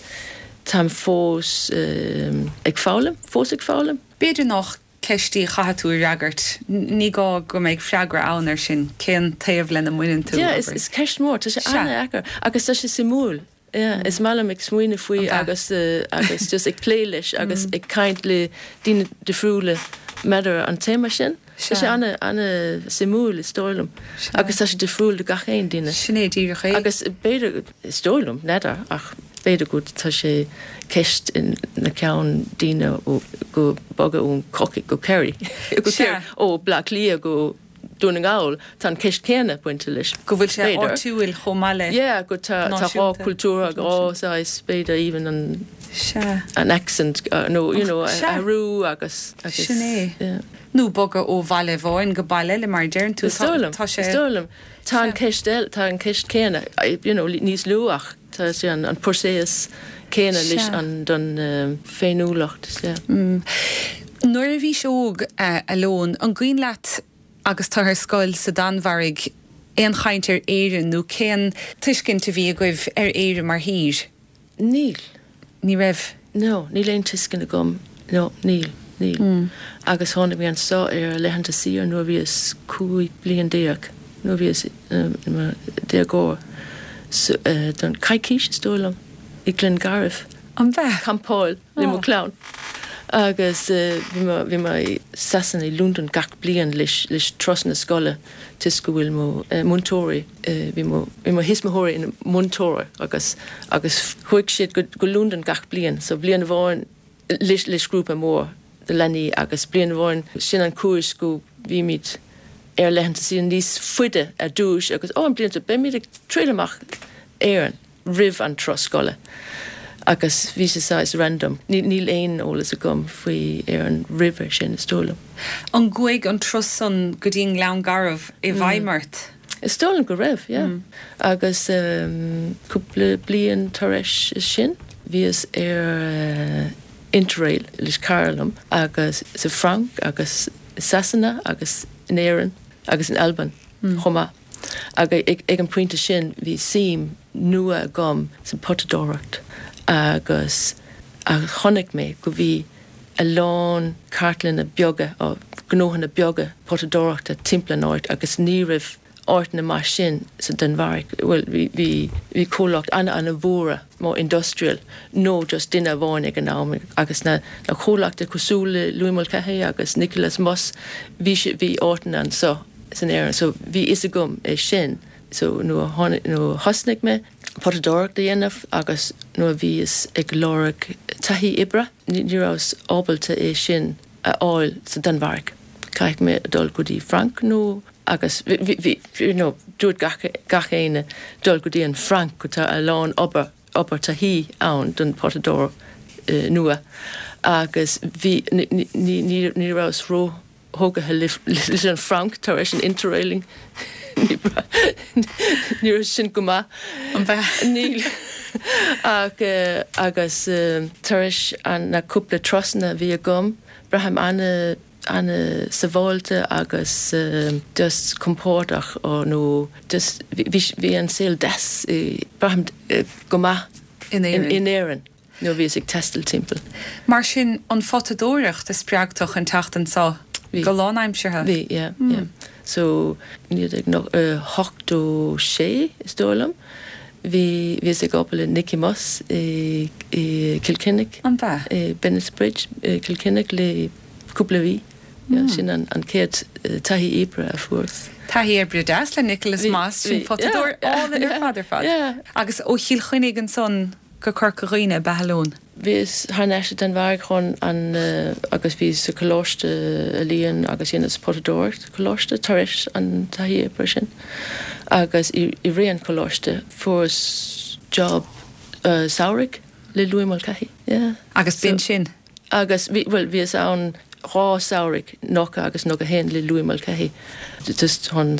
táim fós um, ag foghlaim, fós ag foghlaim. B'fhéidir nach ceist í a chaithfidh tú a fhreagairt, ní gá go mbeidh freagra ann ar sin, cén taobh lena mbaineann tú? Yeah, is, is ceist mór, tá sé an-deacair agus tá sé suimiúil. Yeah, is maith liom ag smaoineamh faoi agus uh, agus just ag plé leis agus mm. ag caint le daoine difriúla maidir an téama sin. Tá sé an an-suimiúil is dóigh liom. Agus tá sé difriúil do gach aon duine. Sin é díreach é. Agus b'fhéidir is dóigh liom n'fheadar ach b'fhéidir go tá sé ceist in na ceann daoine ó go bogadh ón Corcaigh go Kerry. Go Kerry ó Bleá Cliath go Dún na nGall tá an ceist céanna bainte leis. Go bhfuil sé áitiúil chomh maith le. Yeah, go tá tá dhá cultúr dhá saghas b'fhéidir even an Sea. an accent uh, no you know athrú agus agus Sin é. Nó bogadh ó bhaile amháin go baile eile mar a deireann tú Is dóigh liom, tá sé is dóigh liom. Tá an ceist eile tá an ceist céanna you know níos lú ach tá sé an an próiseas céanna leis an don uh, féiniúlacht yeah. Mm. Nuair a bhís óg uh, a Lone, an cuimhin leat agus tú ar scoil sa Danmhairg aon chaint ar Éirinn nó cén tuiscint a bhí agaibh ar Éire mar thír? Níl. Ní raibh? No, níl aon tuiscint agam. No, níl, níl. Mm. Agus tháinig mé anseo ar laethanta saoire nuair a bhíos cúig bliain déag, nuair a bhíos um, déagóir so, uh, don coicís is dóigh liom i Glengarriff. An bhea? Campáil le mo Oh. chlann. Agus uh, bhí mé bhí mé i Sasana i London gach bliain leis leis turas na scoile toisc go bhfuil mo uh, múinteoirí uh, bhí mo bhí mo thuismitheoirí ina múinteoirí agus agus chuaigh siad go, go London gach bliain, so bliain amháin leis leis grúpa mór de leanaí agus bliain amháin sin an cúis go bhímid ar laethanta saoire níos faide ar dtús agus ó an bliain seo beimid ag triail amach Éirinn roimh an turas scoile. Agus bhí sé saghas random. Níl aon eolas agam faoi Éirinn roimhe sin is dóigh liom. An gcuaigh an turas san go dtí an Gleann Garbh i bhfeidhm ort? Is dóigh liom go raibh, yeah. Mm. Agus um, cúpla bliain tar éis sin, bhíos ar uh, Interrail leis cara liom agus sa Frainc agus Sasana agus in Éirinn agus in Albain mm. chomh maith. Agus ag, ag an pointe sin bhí suim nua agam sa potadóireacht agus a chonaic mé go bhí a lán cartlanna beaga ó gnóthanna beaga potadóireachta timpeall an áit agus ní raibh áiteanna mar sin sa Danmhairg. Well, bhí bhí bhí comhlacht an an-mhóra mór industrial nó just duine amháin ag an am agus na na comhlachtaí cosúil le Louis Mulcahy agus Nicholas Moss bhí si bhí áiteanna anseo san Éirinn, so bhí fhios agam é sin. So nuair nuair a thosnaigh mé potadóireacht a dhéanamh agus nuair a bhíos ag lorg taithí oibre, ní rabhas ábalta é sin a fháil sa Danmhairg. Caithfidh mé dul go dtí Frainc nó agus bhí you know dúirt gach gach éinne dul go dtí an Frainc go tá a lán obair obair taithí ann don potadóir nua agus bhí ní ní ní rabhas ró thógtha leis an Frainc tar éis an interrailing ní raibh sin go maith An bheith Níl ach agus tar éis an na cúpla turasanna a bhí agam braithim ana ana sábháilte agus just compordach ó nó just bhí an saol deas braithim go maith in Éirinn. In Éirinn nuair a bhíos ag taisteal timpeall. Mar sin an photadóireacht a spreag tú chun teacht anseo go lánaimseartha? Bhí, yeah, yeah. So naoi déag ochtó sé is dóigh liom. Bhí bhíos ag obair le Nicky Moss i i Cill Chainnigh. An b'ea? I Bennett's Bridge i Cill Chainnigh le cúpla mhí. Yeah, sin an an chéad taithí oibre a fuaireas. Taithí oibre deas le Nicholas Moss, sin potadóir álainn ar fad ar fad. Yeah. Agus ó Chill Chainnigh ansan go Corca Dhuibhne ab ea a Leon? Bhíos thar n-ais i Danmhairg chun an agus bhíos sa Choláiste Ealaíon agus dhéanas potadóireacht sa Choláiste tar éis an taithí oibre sin. Agus i rith an choláiste fuaireas job samhraidh le Louis Mulcahy. Yeah. Agus b'in sin? Agus bhí, bhuel, bhíos ann dhá samhraidh, nócha agus nócha haon le Louis Mulcahy, just chun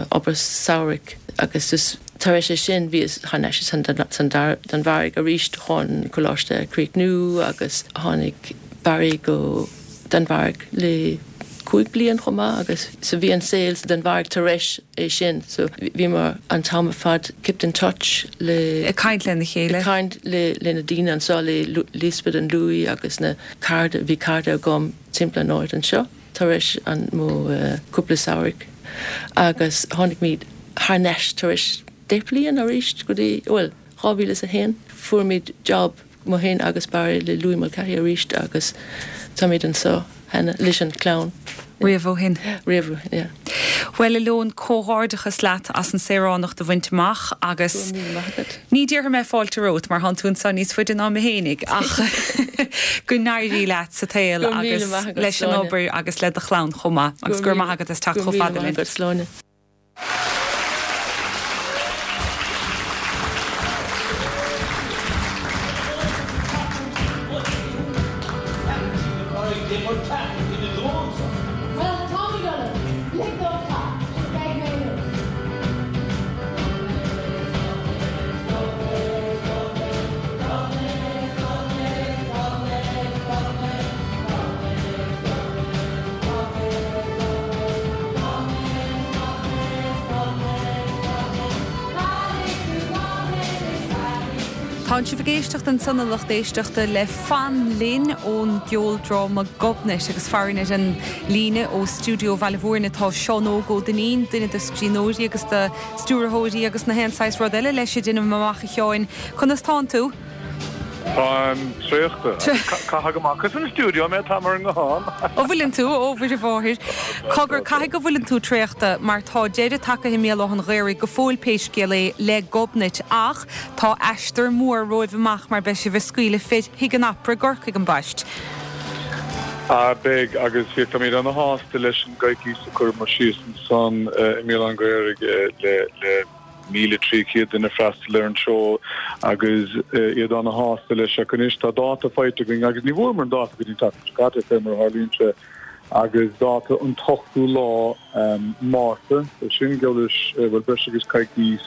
obair samhraidh agus just tar éis é sin bhíos thar n-ais san Danmhairg arís chun coláiste a chríochnú agus tháinig Barry go Danmhairg le cúig bliain chomh maith agus so bhí an saol sa Danmhairg tar éis é sin so bhíomar an t-am ar fad kept in touch le Ag caint lena chéile. Ag caint le le na daoine anseo le Lisbeth and Louis agus na cairde bhí cairde agam timpeall an áit anseo tar éis an mo cúpla samhraidh agus tháinig muid thar n-ais tar éis deich bliain arís go dtí bhuel dhá mhíle is a haon fuair muid job mé féin agus Barry le Louis Mulcahy arís agus táimid anseo cheana leis an chlann. Riamh ó shin. Riamh ó shin, yeah. Bhuel, a Leon, comhghairdeachas leat as an saoránacht a bhaint amach agus Go raibh míle maith agat. ní déarfaidh mé fáilte romhat mar thánn tú anseo níos faide ná mé fhéinig ach go n-éirí leat sa tsaol Go raibh míle agus maith agat, leis an Sláine. obair agus le do chlann chomh maith agus go raibh maith agat as teacht Go chomh raibh míle fada maith linn. agat, Sláine. Tánn sibh ag éisteacht ansan a lucht éisteachta le Fan Linn ón gceoldráma Gobnait agus farainn ar an líne ó stiúideo Bhaile Mhúirne tá Seán Óg Ó Duinnín, duine de scríbhneoirí agus de stiúrthóirí agus na haon saghas rud eile leis déanaim amach a Sheáin. Conas tánn tú? Táim traochta. Caithfidh amach as an stiúideo mé táim ar an nguthán. Ó bhfuileann tú ó Mhuire Mháthair. Cogar caithfidh go bhfuileann tú traochta mar tá deireadh tagtha i mBéal Átha an Ghaorthaidh go fóill pé scéal é le Gobnait ach tá aistear mór romhaibh amach mar beidh sibh ag scaoileadh fé Thigh an Opera i gCorcaigh ambaist. A beidh agus bhí táimid ana-shásta leis an gcoicís a chuireamar síos ansan i mBéal Átha an Ghaorthaidh le le míle trí chéad duine freastal ar an seó agus iad ana-shásta leis ach anois tá dáta faighte againn agus ní bhfuaireamar an dáta go dtí an tseachtain seo caite fé mar a tharlaíonn sé agus dáta an t-ochtú lá Márta sin geall leis bhuel breis agus coicís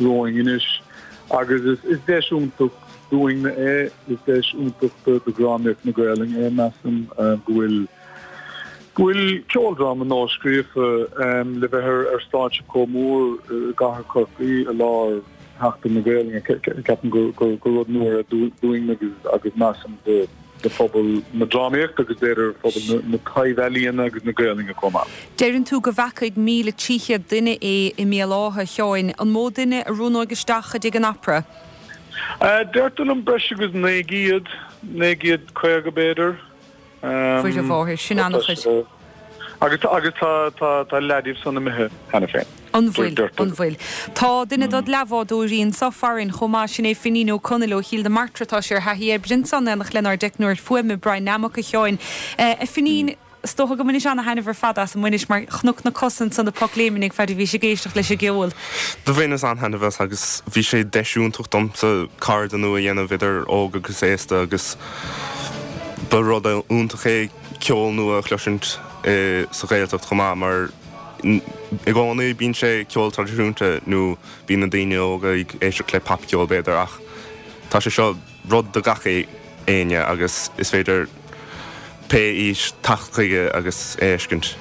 romhainn anois agus is is deis iontach dúinn é is deis iontach do drámaíocht na Gaelainne é measaim go bhfuil go bhfuil ceoldráma nua-scríofa le bheith ar stáitse chomh mór i gcathair Chorcaí i lár Sheachtain na Gaelainne. Ceapaim gur rud mór é dúinn agus measaim do phobal na drámaíochta agus b'fhéidir phobal na taibh-ealaíona agus na Gaelainne chomh maith. Deireann tú go bhfeicfidh míle trí chéad duine é i mBéal Átha, a Sheáin. An mó duine a roghnóidh isteach i dTigh an Opera? Deirtear liom breis agus naoi gcéad, naoi gcéad caoga b'fhéidir. Mhuire Mháthair, sin an-chuid. Agus agus tá tá tá leath díobh san imithe cheana féin. An bhfuil, an bhfuil. Tá duine dod leathbhádóirí anso farainn chomh maith, sin é Finín Ó Conaill ó Chill na Martra, tá sé ar thaithí oibre ansan in éineacht lenár dteicneoir fuaime Brian Nammock a Sheáin. A Finín, Is dócha go mbaineann sé ana-thaitneamh ar fad as an mbainis mar chonac na cosa ansan ag pocléimnigh fad a bhí sé ag éisteacht leis an gceol. Do bhaineas an-taitneamh as agus bhí sé deis iontach domsa cairde nua a dhéanamh idir óg agus aosta agus ba rud iontach é ceol nua a chloisint sa Ghaeltacht chomh maith mar i gcónaí bíonn sé ceol traidisiúnta nó bíonn na daoine óga ag éisteacht le popcheol b'fhéidir ach tá sé seo rud do gach éinne agus is féidir pé aois teacht chuige agus é a fheiscint.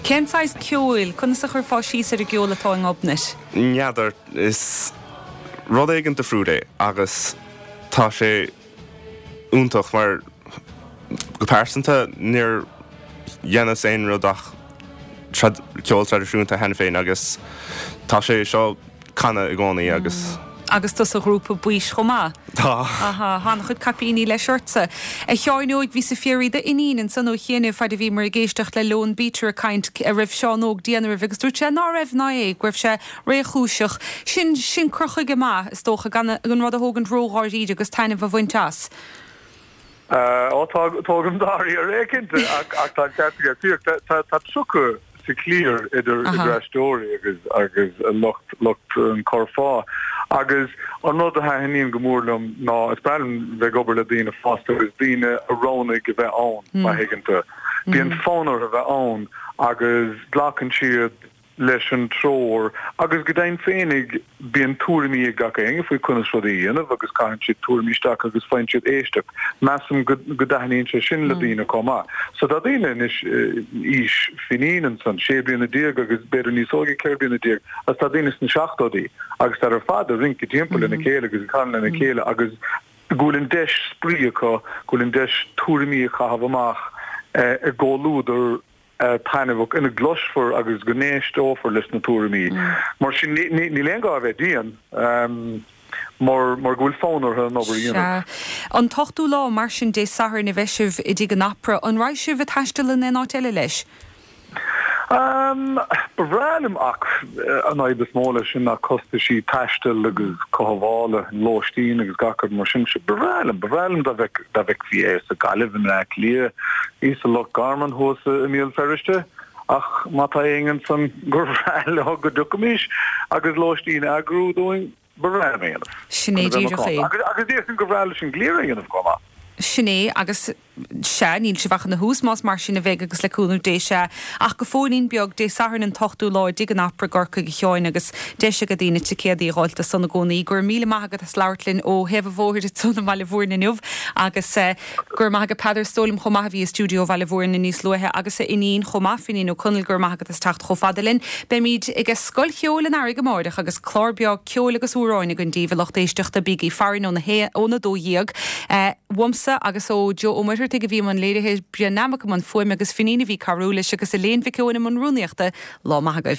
Cén saghas ceoil, conas a chuirfeá síos ar an gceol atá i nGobnait? N'fheadar, is rud éigin difriúil é agus tá sé iontach mar go pearsanta níor dheineas aon rud ach ceol traidisiúnta cheana féin agus tá sé seo canadh i gcónaí agus. Agus tú sa ghrúpa Baois chomh maith? Tá. Aha, tá an-chuid caipíní leis ortsa. A Sheáin Óig, bhís ag fiafraí d'iníon ansan ó chianaibh fad a bhíomar ag éisteacht le Lone Beater ag caint a raibh Seán Óg déanamh roimhe agus dúirt sé ná raibh ná é, go raibh sé réchúiseach. Sin, sin cur chuige maith, is dócha, gan an rud a thógaint ródháiríre agus taitneamh a bhaint as. Ó, tógaim dáiríre é, cinnte, ach tá an ceart aige. Tá tríocha sa chliar idir idir aisteoirí agus agus lucht lucht an curfá. Agus an rud a thaitníonn go mór liom ná is breá liom bheith ag obair le daoine fásta agus daoine a roghnaigh a bheith ann, má thuigeann tú. Bíonn fonn orthu a bheith ann agus glacann siad leis an treoir agus go deimhin féinig bíonn tuairimí ag gach éinne faoi conas rudaí a dhéanamh agus caitheann siad tuairimí isteach agus faigheann siad éisteacht. Measaim go go dtaitníonn sé sin le daoine chomh maith. So tá daoine anois aois Finín ansan, sé bliana déag agus b'fhéidir níos óige, ceithre bliana déag, agus tá daoine sna seachtóidí agus tá ar fad ag rince timpeall lena chéile agus ag canadh lena chéile agus go bhfuil an deis spraoi acu, go bhfuil an deis tuairimí a chaitheamh amach i gcomhluadar taitneamhach ina gcloisfear agus go n-éisteofar leis na tuairimí. Mar sin, níl aon gá a bheith dian, mar mar go bhfuil fonn orthu an obair a dhéanamh. Sea. An t-ochtú lá, mar sin, Dé Sathairn a bheidh sibh i dTigh an Opera. An raghaidh sibh ag taisteal in aon áit eile leis? Ba bhreá liom ach an fhadhb is mó leis sin ná costaisí taistil agus cothabhála, lóistín agus gach rud mar sin. Ba bhreá liom, ba bhreá liom dá bhfeicfí é sa Ghaillimh, i mBleá Cliath, í sa Loch Garman thuas i mBéal Feirste ach má tá éinne ansan gur bhreá leo go dtiocfaimis agus lóistín a eagrú dúinn, ba bhreá liom é a dhéanamh. Sin é díreach é. Agus déarfainn gur bhreá leis an gcliar é a dhéanamh chomh maith. Sin é, agus sea, níl sibh ach ina thús, más mar sin a bheidh agus le cúnamh Dé, sea. Ach go fóillín beag, Dé Sathairn an t-ochtú lá i dTigh an Opera i gCorcaigh, a Sheáin, agus deis ag daoine ticéadaí a dh'fháilt do san i gcónaí. Go raibh míle maith agat as labhairt linn ó thaobh an bhóthair ansan i mBaile Bhúirne inniu agus go raibh maith agat Peadar is dóigh liom chomh maith a bhí i stiúideo Bhaile Bhúirne níos luaithe agus a iníon chomh maith, Finín Ó Conaill, go raibh maith agat as teacht chomh fada linn. Beimid ag Scoil Cheoil an Earraigh amáireach agus clár breá ceoil agus amhráin againn daoibh, a lucht éisteachta, bígí farainn óna dó dhéag. Uaimse agus ó Joe Ó Muircheartaigh a bhí i mbun léirithe, Brian Nammock i mbun fuaime agus Finín a bhí ag cabhrú leis agus Elaine Mhic Eoin i mbun rúnaíochta. Lá maith agaibh.